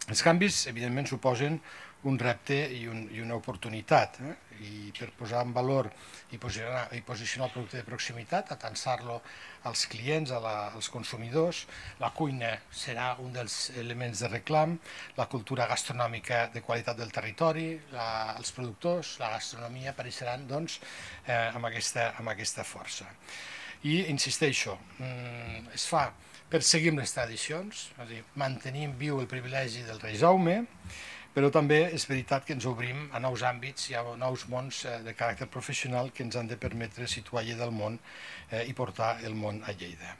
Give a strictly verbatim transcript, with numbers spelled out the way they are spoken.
Els canvis, evidentment, suposen un repte i, un, i una oportunitat, eh? I per posar en valor i posicionar, i posicionar el producte de proximitat, atansar-lo als clients, a la, als consumidors, la cuina serà un dels elements de reclam, la cultura gastronòmica de qualitat del territori, la, els productors, la gastronomia apareixeran doncs, eh, amb, aquesta, amb aquesta força. I insisteixo, mm, es fa perseguim les tradicions, és a dir, mantenim viu el privilegi del rei Jaume, però també és veritat que ens obrim a nous àmbits i a nous mons eh, de caràcter professional que ens han de permetre situar Lleida al món eh, i portar el món a Lleida.